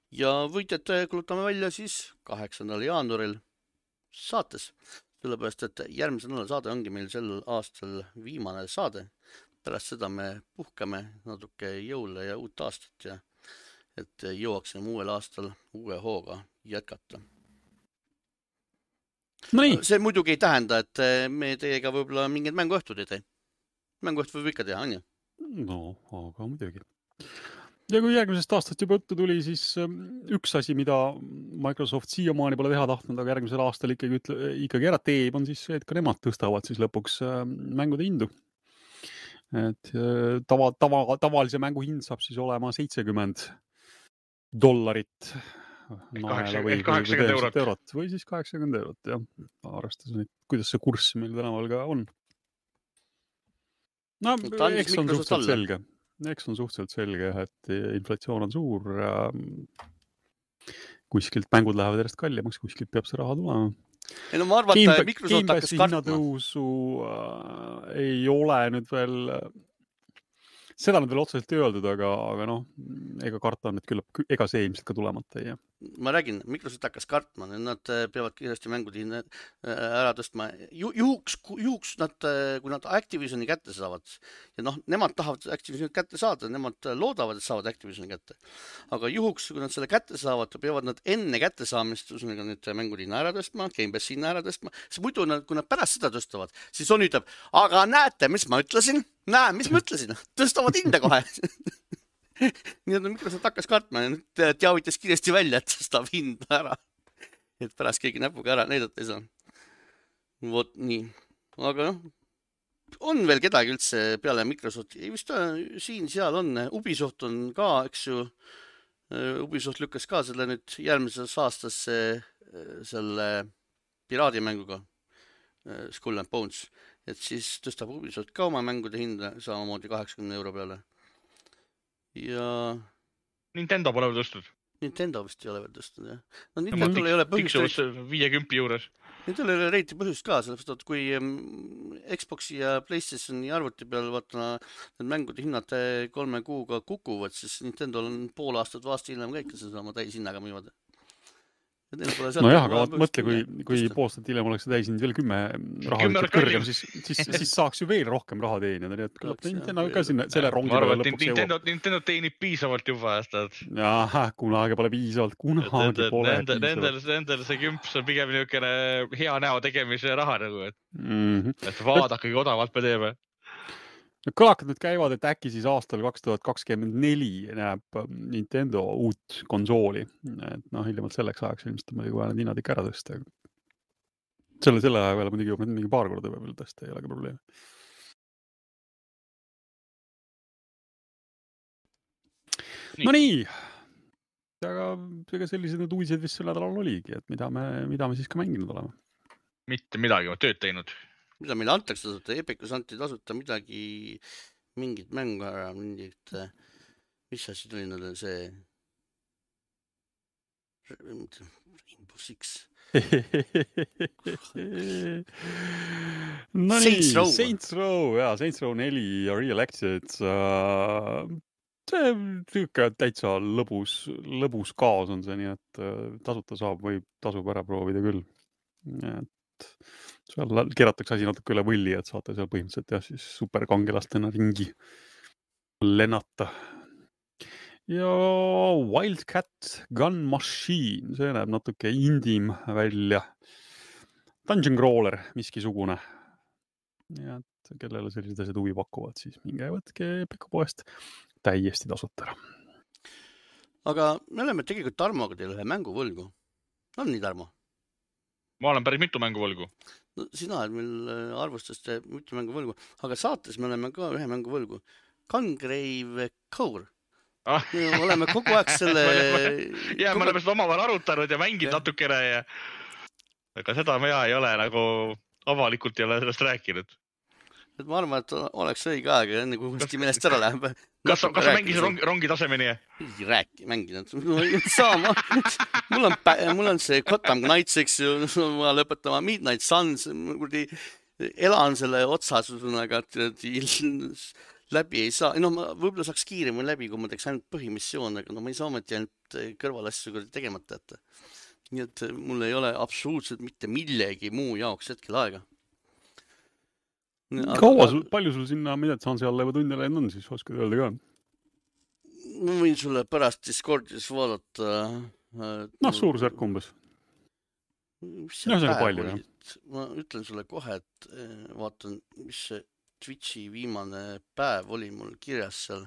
Ja võitjad kulutame välja siis 8. jaanuaril saates. Sellepärast, et järgmise nädala saade ongi meil sel aastal viimane saade. Pärast seda me puhkame natuke jõule ja uut aastat ja et jõuaksime uuel aastal uue hooga jätkata. See muidugi ei tähenda, et me teiega võib-olla mingid mänguõhtud ei tee. Mänguõhtud võib ikka teha, on ju? No, aga muidugi. Ja kui järgmisest aastast juba õttu tuli, siis üks asi, mida Microsoft siiamaani pole teha tahtnud, aga järgmisel aastal ikkagi ära teeb, on siis see, et ka nemad tõstavad siis lõpuks mängude hindu. Et tavalise mängu hind saab siis olema $70 naela või 80 eurot või siis 80 eurot, jah. Arvestas nüüd, kuidas see kurss meil tänaval ka on. No, eks on suhteliselt selge, et inflatsioon on suur. Kuskilt mängud lähevad järjest kallimaks, kuskilt peab see raha tulema. Ei, no ma arvan, et Microsoft hakkas kartma. Hinnatõusu ei ole nüüd veel, seda nüüd veel otseselt öeldud, aga ega karta on, et küllap, ega see ilmselt ka tulemata ei jää. Ma räägin, Microsoft hakkas kartma, nad peavad kiiresti mängud ära tõstma. Juhuks, kui nad Activisioni kätte saavad, ja nemad tahavad Activisioni kätte saada, nemad loodavad, et saavad Activisioni kätte. Aga juhuks, kui nad selle kätte saavad, peavad nad enne kätte saamist, nüüd mängud hinna ära tõstma, Game Pass hinna ära tõstma, siis muidu, kui nad pärast seda tõstavad, siis on ütleb, aga näete, mis ma ütlesin? Tõstavad hinda kohe. nii et Microsoft hakkas kartma ja nüüd teavitas kiiresti välja, et tõstab hinda ära. Et pärast keegi näpuga ära näidata ei saa. Vot nii. Aga noh, on veel kedagi üldse peale Microsofti? Ei vist siin-seal on. Ubisoft on ka, eks ju. Ubisoft lükkas ka selle nüüd järgmises aastas selle piraadimänguga Skull and Bones. Et siis tõstab Ubisoft ka oma mängude hinda samamoodi 80 euro peale. Ja Nintendo pole veel tõstnud. Nintendo vist ei ole veel tõstnud, jah. No Nintendo ei ole põhjust. 50 juures. Nintendo ei ole reiti põhjust ka, sellepärast, et kui Xboxi ja PlayStationi arvuti peal vaatama need mängude hinnad 3 kuuga kukuvad, siis Nintendo on pool aastat vastu hiljem kõik sama täishinnaga müüvad. No jah, aga mõtle, kui poolstat hiljem oleks täishind veel 10 raha kõrgem, siis saaks ju veel rohkem raha teenida. Nii et küllap Nintendo ka selle rongi peale lõpuks jõuab. Nintendo teenib piisavalt juba aastad. Jah, kunagi pole piisavalt, kunagi pole piisavalt. Nendel see kümps on pigem niisugune hea näo tegemise raha nagu, et vaadake, kui odavalt me teeme. Kõlakad nüüd käivad, et äkki siis aastal 2024 näeb Nintendo uut konsooli. Et hiljemalt selleks ajaks ilmselt on muidugi vaja need hinnad ikka ära tõsta. Selle aja peale muidugi juba mingi paar korda veel tõsta, ei ole ka probleemi. No nii, aga sellised need uudised vist sel nädalal oligi, et mida me siis ka mänginud oleme. Mitte midagi, ma tööd teinud. Mida meile antakse tasuta, Epicus anti tasuta mingit mängu ära, mis asi tuli neile see Rainbow Six. No nii, Saints Row 4 ja Real Access. See täitsa lõbus kaos on see, nii et tasuta saab või tasub ära proovida küll. Et seal keeratakse asi natuke üle võlli, et saate seal põhimõtteliselt siis superkangelastena ringi lennata. Ja Wildcat Gun Machine, see näeb natuke indim välja. Dungeon Crawler, miskisugune. Ja kellele sellised asjad huvi pakuvad, siis minge võtke Pekapoest täiesti tasuta ära. Aga me oleme tegelikult Tarmoga teile ühe mängu võlgu. On nii, Tarmo? Ma olen päris mitu mängu võlgu. No, sina oled meil arvustust mitu mängu võlgu, aga saates me oleme ka ühe mängu võlgu. Gungrave Core. Me oleme kogu aeg selle... Ja me oleme seda omavahel arutanud ja mänginud natukene. Aga seda me ei ole nagu avalikult ei ole sellest rääkinud. Et ma arvan, et oleks õige aeg, enne kui uuesti meelest ära läheb. Kas sa mängisid rongi tasemeni? Ei mänginud. Mul on see Gotham Knights, eks ju, ma lõpetama Midnight Suns, elan selle otsas, aga läbi ei saa. No ma võib-olla saaks kiiremini läbi, kui ma teeks ainult põhimissioon, aga ma ei saa ometi ainult kõrvalasju tegemata. Nii et mul ei ole absoluutselt mitte millegi muu jaoks hetkel aega. Palju sul sinna Midnight Sunsi alla juba tunde läinud on, siis oskad öelda ka? Ma võin sulle pärast Discordis vaadata. Suurusjärk umbes. See on palju, jah. Ma ütlen sulle kohe, et vaatan, mis see Twitchi viimane päev oli mul kirjas seal.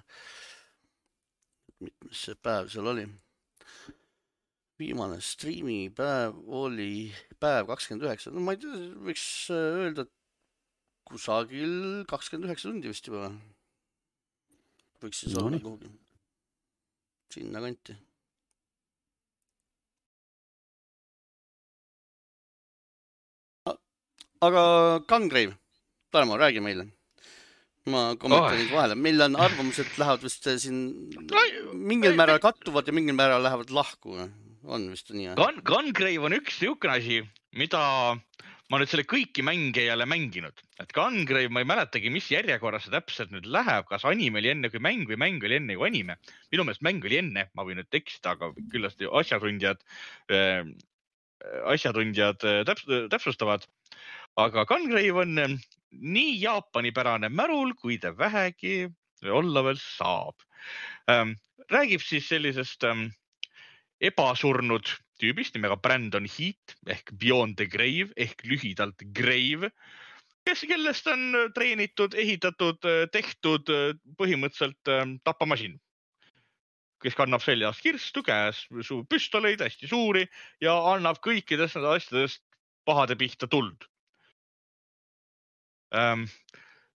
Mis see päev seal oli? Viimane streami päev oli päev 29. No ma ei tea, võiks öelda, et kusagil 29 tundi vist juba. Võiks siis olla kuhugi. Sinna kanti. Aga Gungrave, Tarmo, räägi meile. Ma kommenteerin vahele. Meil on arvamused lähevad vist siin mingil määral kattuvad ja mingil määral lähevad lahku. On vist nii. Gungrave on üks niisugune asi, mida ma nüüd selle kõiki mänge jälle mänginud. Et Gungrave, ma ei mäletagi, mis järjekorras see täpselt nüüd läheb, kas anime oli enne kui mäng või mäng oli enne kui anime. Minu meelest mäng oli enne, ma võin nüüd eksida, aga küllasti asjatundjad täpsustavad. Aga Gungrave on nii jaapanipärane märul, kui ta vähegi olla veel saab. Räägib siis sellisest ebasurnud tüübist nimega Brandon Heat ehk Beyond the Grave ehk lühidalt Grave, kellest on treenitud, ehitatud, tehtud põhimõtteliselt tapamasin. kes kannab seljas kirstu, käes püstoleid hästi suuri ja annab kõikidest asjadest pahade pihta tuld.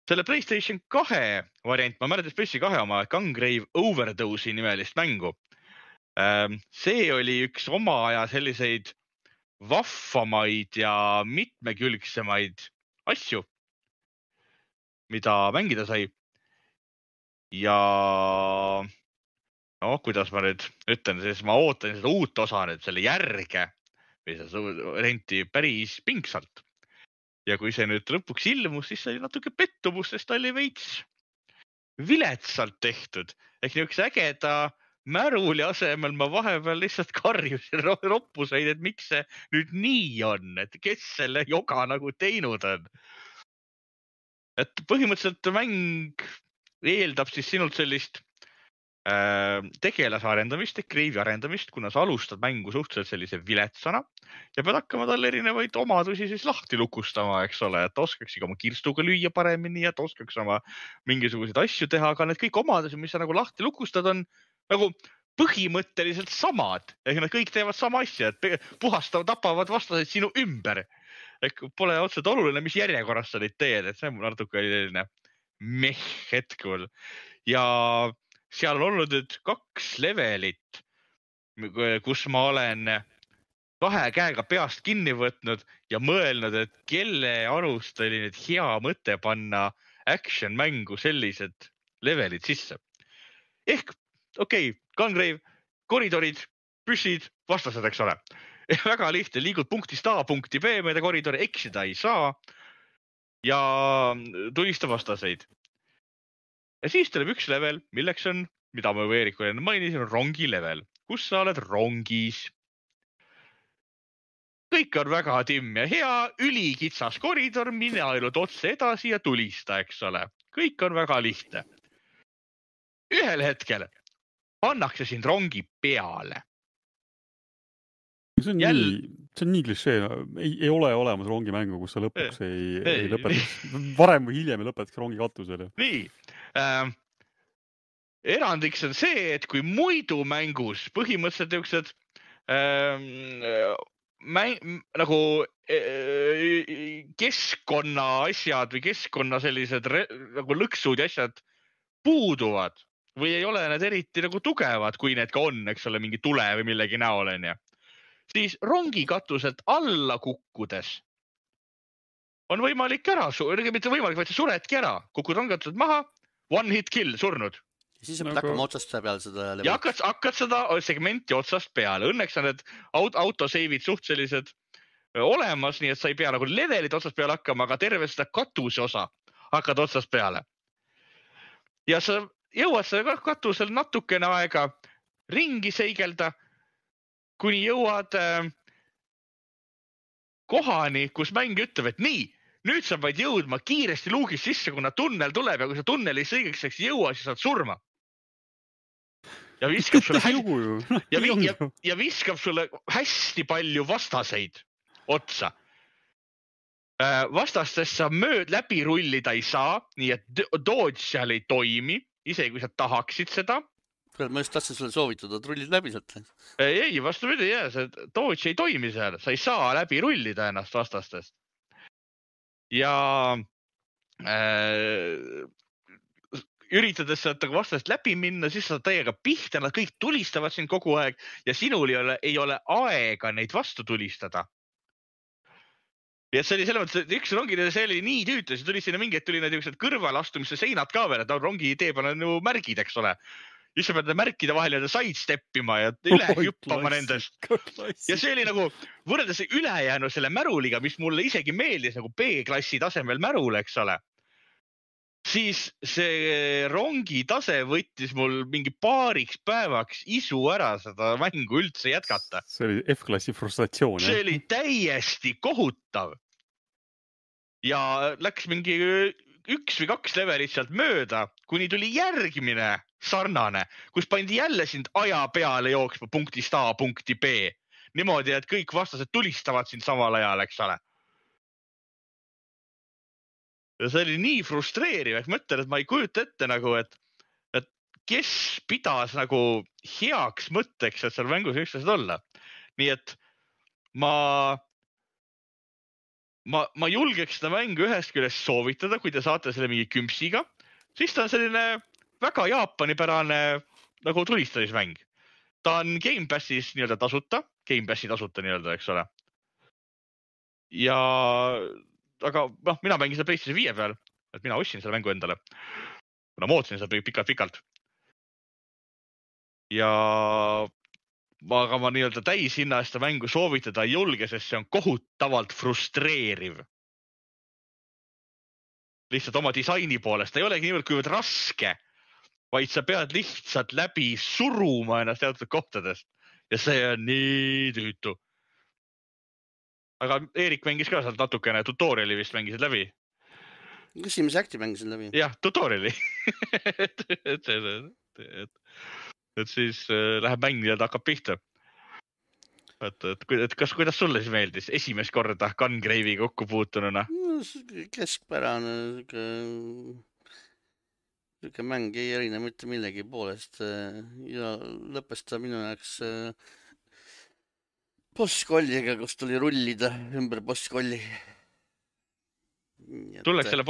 Selle PlayStation 2 variant, ma mäletan PlayStation 2 oma Gungrave Overdose'i nimelist mängu. See oli üks oma aja selliseid vahvamaid ja mitmekülgsemaid asju, mida mängida sai. Ja no, kuidas ma nüüd ütlen, siis ma ootan seda uut osa nüüd, selle järge või seda renti päris pingsalt. Ja kui see nüüd lõpuks ilmus, siis oli natuke pettumus, sest ta oli veits viletsalt tehtud. Ehk niisuguse ägeda märuli asemel ma vahepeal lihtsalt karjusin roppuseid, et miks see nüüd nii on, et kes selle joga nagu teinud on. Et põhimõtteliselt mäng eeldab siis sinult sellist tegelase arendamist, Grave'i arendamist, kuna sa alustad mängu suhteliselt sellise viletsana ja pead hakkama talle erinevaid omadusi siis lahti lukustama, eks ole, et oskaks oma kirstuga lüüa paremini ja oskaks oma mingisuguseid asju teha, aga need kõik omadusi, mis sa nagu lahti lukustad, on nagu põhimõtteliselt samad. Ehk nad kõik teevad sama asja, et puhastavad, tapavad vastaseid sinu ümber. Ehk pole otseselt oluline, mis järjekorras sa neid teed, et see on natuke selline meh hetkel. Ja seal on olnud nüüd 2 levelit, kus ma olen 2 käega peast kinni võtnud ja mõelnud, et kelle arust oli nüüd hea mõte panna action mängu sellised levelid sisse. Ehk, okei, Gungrave, koridorid, püssid, vastased, eks ole. Väga lihtne, liigud punktist A punkti B mööda koridori, eksida ei saa ja tulista vastaseid. Ja siis tuleb üks level, milleks on, mida ma Veeriku enne mainisin, on rongi level, kus sa oled rongis. Kõik on väga timm ja hea, ülikitsas koridor, mine ainult otse edasi ja tulista, eks ole. Kõik on väga lihtne. Ühel hetkel pannakse sind rongi peale. See on nii klišee, ei ole olemas rongimängu, kus sa lõpuks ei lõpetaks. Varem või hiljem ei lõpetaks rongi katusele. Nii. Erandiks on see, et kui muidu mängus põhimõtteliselt niisugused nagu keskkonna asjad või keskkonna sellised nagu lõksud ja asjad puuduvad või ei ole need eriti nagu tugevad, kui need ka on, eks ole, mingi tule või millegi näol on ja. Siis rongi katuselt alla kukkudes on võimalik ära, mitte võimalik, vaid sa suredki ära, kukud rongi katuselt maha, one hit kill, surnud. Ja siis pead hakkama otsast peale seda levelit. Ja hakkad seda segmenti otsast peale. Õnneks on need autoseivid suht sellised olemas, nii et sa ei pea nagu levelit otsast peale hakkama, aga terve seda katuse osa hakkad otsast peale. Ja sa jõuad seda katusel natukene aega ringi seigelda, kuni jõuad kohani, kus mäng ütleb, et nii, nüüd sa vaid jõudma kiiresti luugist sisse, kuna tunnel tuleb ja kui sa tunneli õigeks jõua, siis saad surma. Ja viskab sulle ja viskab sulle hästi palju vastaseid otsa. Vastastest sa läbi rullida ei saa, nii et dodge seal ei toimi, isegi kui sa tahaksid seda. Ma just tahtsin sulle soovitada, et rullid läbi sealt. Ei, vastupidi, see dodge ei toimi seal, sa ei saa läbi rullida ennast vastastest. Ja üritades sealt vastast läbi minna, siis sa täiega pihta, nad kõik tulistavad sind kogu aeg ja sinul ei ole aega neid vastu tulistada. Ja see oli selle mõttes, et üks rongi see oli nii tüütu, siis tuli sinna mingi, et tuli need kõrvalastumisse seinad ka veel, et rongi tee peal on ju märgid, eks ole. Siis sa pead märkida vahel ja sidesteppima ja üle juppama nendest. Ja see oli nagu võrreldes ülejäänu selle märuliga, mis mulle isegi meeldis nagu B-klassi tasemel märul, eks ole. Siis see rongi tase võttis mul mingi paariks päevaks isu ära seda mängu üldse jätkata. See oli F-klassi frustratsioon. See oli täiesti kohutav. Ja läks mingi 1 või 2 levelit sealt mööda, kuni tuli järgmine sarnane, kus pandi jälle sind aja peale jooksma punktist A punkti B. Niimoodi, et kõik vastased tulistavad sind samal ajal, eks ole. Ja see oli nii frustreeriv, et mõtlen, et ma ei kujuta ette nagu, et kes pidas nagu heaks mõtteks, et seal mängus võiks asjad olla. Nii et ma julgeks seda mängu ühest küljest soovitada, kui te saate selle mingi kümpsiga, siis ta on selline väga jaapanipärane nagu tulistamismäng. Ta on Game Passis nii-öelda tasuta, Game Passi tasuta nii-öelda, eks ole. Ja, aga mina mängin seda PlayStation 5 peal, et mina ostsin selle mängu endale. Kuna ma ootasin seda pikalt. Ja aga ma nii-öelda täishinna seda mängu soovitada ei julge, sest see on kohutavalt frustreeriv. Lihtsalt oma disaini poolest. Ta ei olegi niivõrd kuivõrd raske, vaid sa pead lihtsalt läbi suruma ennast teatud kohtadest. Ja see on nii tüütu. Aga Eerik mängis ka sealt natukene, tutoriali vist mängisid läbi. Esimese akti mängisin läbi. Jah, tutoriali. et siis läheb mäng ja ta hakkab pihta. Et kuidas sulle siis meeldis esimest korda Gungrave'iga kokku puutununa? Keskpärane siuke mäng ei erine mitte millegi poolest ja lõppes ta minu jaoks bosskolliga, kus tuli rullida ümber bosskolli. Sulleks selle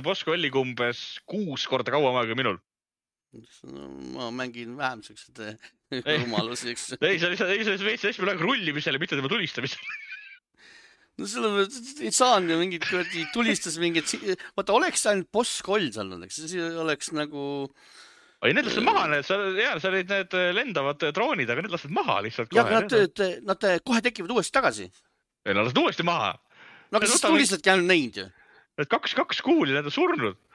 bosskolliga umbes 6 korda kauem aega minul. Ma mängin vähem sellised rumalusi, eks. Ei, see oli väga rullimisele, mitte tema tulistamisele. No sellepärast ei saanud ju mingid tulistas mingid... Vaata, oleks ainult boss-koll seal, eks. See oleks nagu... Ei, need lastud maha, sa olid need lendavad droonid, aga need lastud maha lihtsalt kohe. Ja, aga nad kohe tekivad uuesti tagasi. Ei, nad lastud uuesti maha. No aga siis tulistadki ainult neid ju. Need 2 kuuli, need on surnud.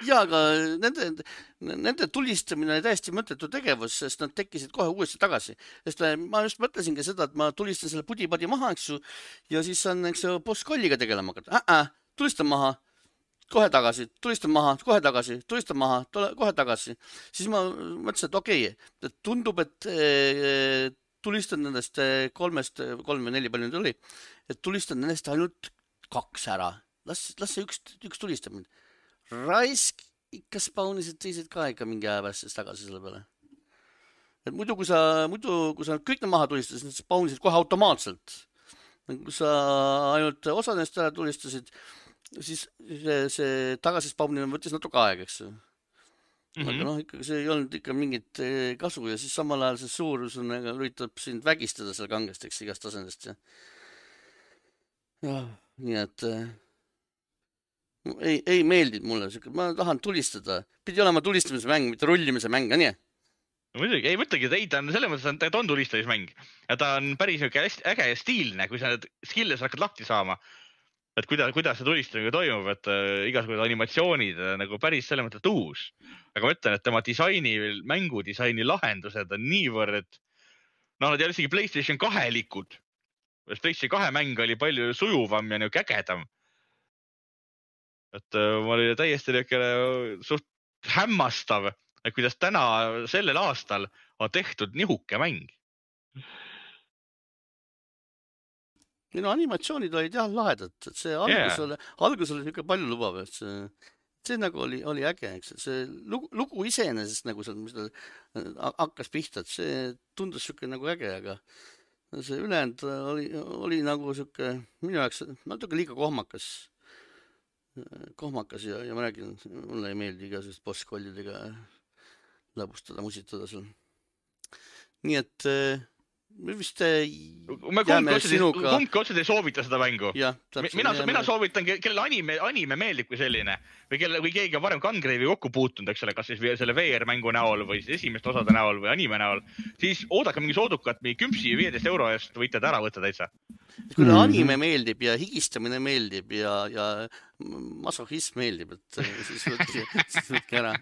Ja, aga nende tulistamine oli täiesti mõttetu tegevus, sest nad tekkisid kohe uuesti tagasi. Sest ma just mõtlesingi seda, et ma tulistan selle pudi-padi maha, eks ju, ja siis on boss-kolliga tegelema hakata. Tulistan maha, kohe tagasi, tulistan maha, kohe tagasi, tulistan maha, kohe tagasi. Siis ma mõtlesin, et okei, tundub, et tulistan nendest 3 või 4 palju nüüd oli, et tulistan nendest ainult 2 ära. Las see üks tulistab mind. Raisk ikka spaunisid teised ka ikka mingi aja päästes tagasi selle peale. Et muidu, kui sa kõik need maha tulistasid, need spaunisid kohe automaatselt. Kui sa ainult osa neist ära tulistasid, siis see tagasi spaunimine võttis natuke aega, eks. Aga ikkagi see ei olnud ikka mingit kasu ja siis samal ajal see suurus üritab sind vägistada seal kangest, eks, igast tasandist. Ja, nii et... Ei meeldid mulle, ma tahan tulistada. Pidi olema tulistamise mäng, mitte rullimise mäng, on nii? Muidugi, ei mõtlegi, ta on selles mõttes, et ta on tulistamismäng. Ja ta on päris äge ja stiilne, kui sa need skilles hakkad lahti saama. Et kuidas see tulistamine toimub, et igasugused animatsioonid nagu päris selle mõttes uus. Aga ma ütlen, et tema mängudisaini lahendused on niivõrd, nad ei ole isegi PlayStation 2 likud. PlayStation 2 mäng oli palju sujuvam ja ägedam. Et ma oli täiesti suht hämmastav, et kuidas sellel aastal on tehtud nihuke mäng. Minu animatsioonid olid jah lahedad, et see algus oli niisugune palju lubav, et see nagu oli äge, eks. See lugu iseenesest nagu seal, mis ta hakkas pihta, et see tundus niisugune nagu äge, aga see ülejäänud oli nagu niisugune minu jaoks natuke liiga kohmakas ja ma räägin, mulle ei meeldi igasugust boss-kollidega lõbustada, musitada seal. Nii et me vist jääme sinuga... Kumbki otseselt ei soovita seda mängu. Mina soovitan, kellele anime meeldib kui selline või keegi on varem Gungrave'i kokku puutunud, eks ole, kas siis selle VR-mängu näol või siis esimeste osade näol või anime näol, siis oodake mingi soodukat, mingi 15 euro eest võite ära võtta täitsa. Kui anime meeldib ja higistamine meeldib ja masohism meeldib, et siis võtke ära.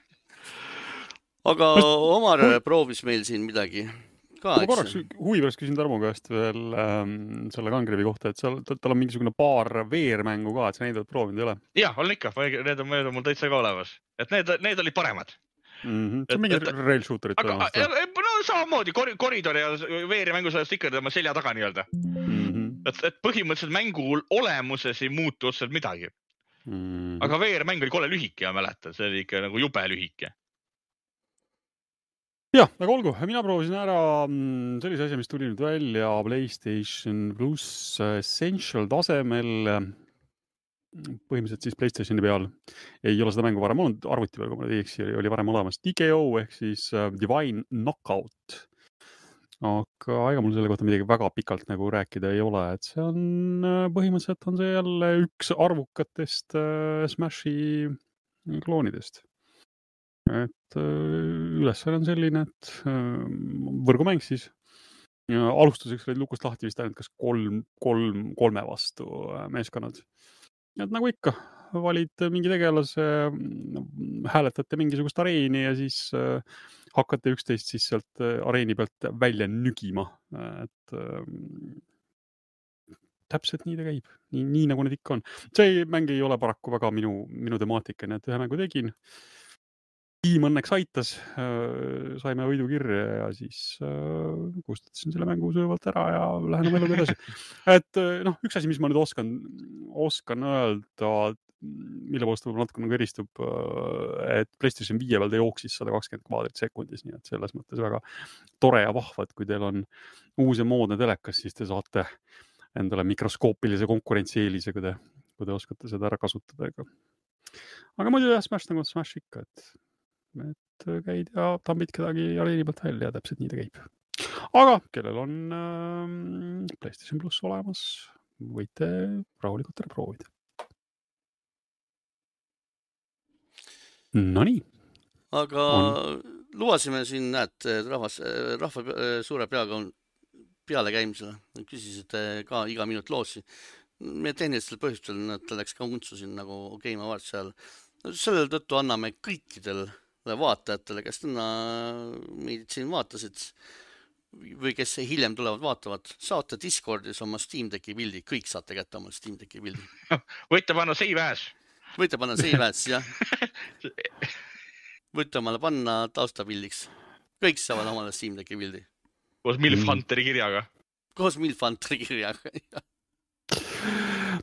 Aga Omar proovis meil siin midagi ka, eks? Ma korraks huvi pärast küsin Tarmo käest veel selle Gungrave'i kohta, et tal on mingisugune paar VR-mängu ka, et sa neid oled proovinud, ei ole? Jah, olen ikka. Need on mul täitsa ka olemas. Et need olid paremad. See on mingi rail shooterit olemas. No samamoodi, koridori ja VR-mängu saadest ikka tema selja taga nii-öelda. Et põhimõtteliselt mängu olemuses ei muutu otseselt midagi. Aga VR-mäng oli kole lühike, ja mäletan. See oli ikka nagu jube lühike. jah, aga olgu, mina proovisin ära sellise asja, mis tuli nüüd välja PlayStation pluss Essential tasemel, põhimõtteliselt siis PlayStationi peal. Ei ole seda mängu varem olnud, arvuti peal, kui ma ei eksi, oli varem olemas DKO ehk siis Divine Knockout. Aga ega mul selle kohta midagi väga pikalt nagu rääkida ei ole, et see on põhimõtteliselt on see jälle üks arvukatest Smashi kloonidest. Et ülesanne on selline, et võrgumäng siis. Ja alustuseks olid lukust lahti vist ainult kas kolme vastu meeskonnad. Et nagu ikka, valid mingi tegelase, hääletate mingisugust areeni ja siis hakkate üksteist siis sealt areeni pealt välja nügima. Et täpselt nii ta käib, nii nagu need ikka on. See mäng ei ole paraku väga minu temaatika, nii et ühe mängu tegin. Tiim õnneks aitas, saime võidukirja ja siis kustutasin selle mängu sujuvalt ära ja lähen oma eluga edasi. Et üks asi, mis ma nüüd oskan öelda, mille poolest võib-olla natuke nagu eristub, et PlayStation 5 peal ta jooksis 120 kvadrit sekundis, nii et selles mõttes väga tore ja vahva, et kui teil on uus ja moodne telekas, siis te saate endale mikroskoopilise konkurentsieelise, kui te oskate seda ära kasutada. Aga muidu jah, Smash nagu Smash ikka, et käid ja tambid kedagi areeni pealt välja ja täpselt nii ta käib. Aga kellel on PlayStation Plus olemas, võite rahulikult ära proovida. Nonii. Aga lubasime siin, näed, rahva suure peaga on peale käimisele. Küsisite ka iga minut loosi. Meie tehnilistel põhjustel ta läks ka untsu siin nagu Game Awards seal. Sellel tõttu anname kõikidel vaatajatele, kes täna meid siin vaatasid või kes hiljem tulevad vaatavad, saate Discordis oma Steam Decki pildi, kõik saate kätte oma Steam Decki pildi. Võite panna save as. Võite panna save as, jah. Võite omale panna taustapildiks. Kõik saavad omale Steam Decki pildi. Koos Milf Hunteri kirjaga. Koos Milf Hunteri kirjaga, jah.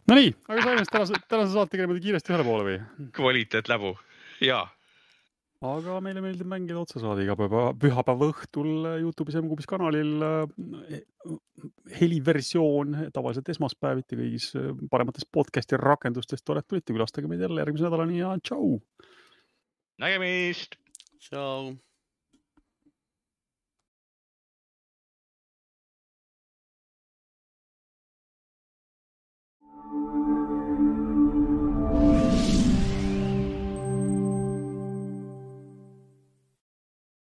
No nii, aga saime tänase saate kirja kiiresti ühele poole või? Kvaliteet läbu, jaa. Aga meile meeldib mängida otsa saada iga pühapäeva õhtul YouTube'is MQBis kanalil heliversioon, tavaliselt esmaspäeviti kõigis paremates podcasti rakendustest. Tulite külastage meid jälle järgmise nädalani ja tšau! Nägemist! Tšau!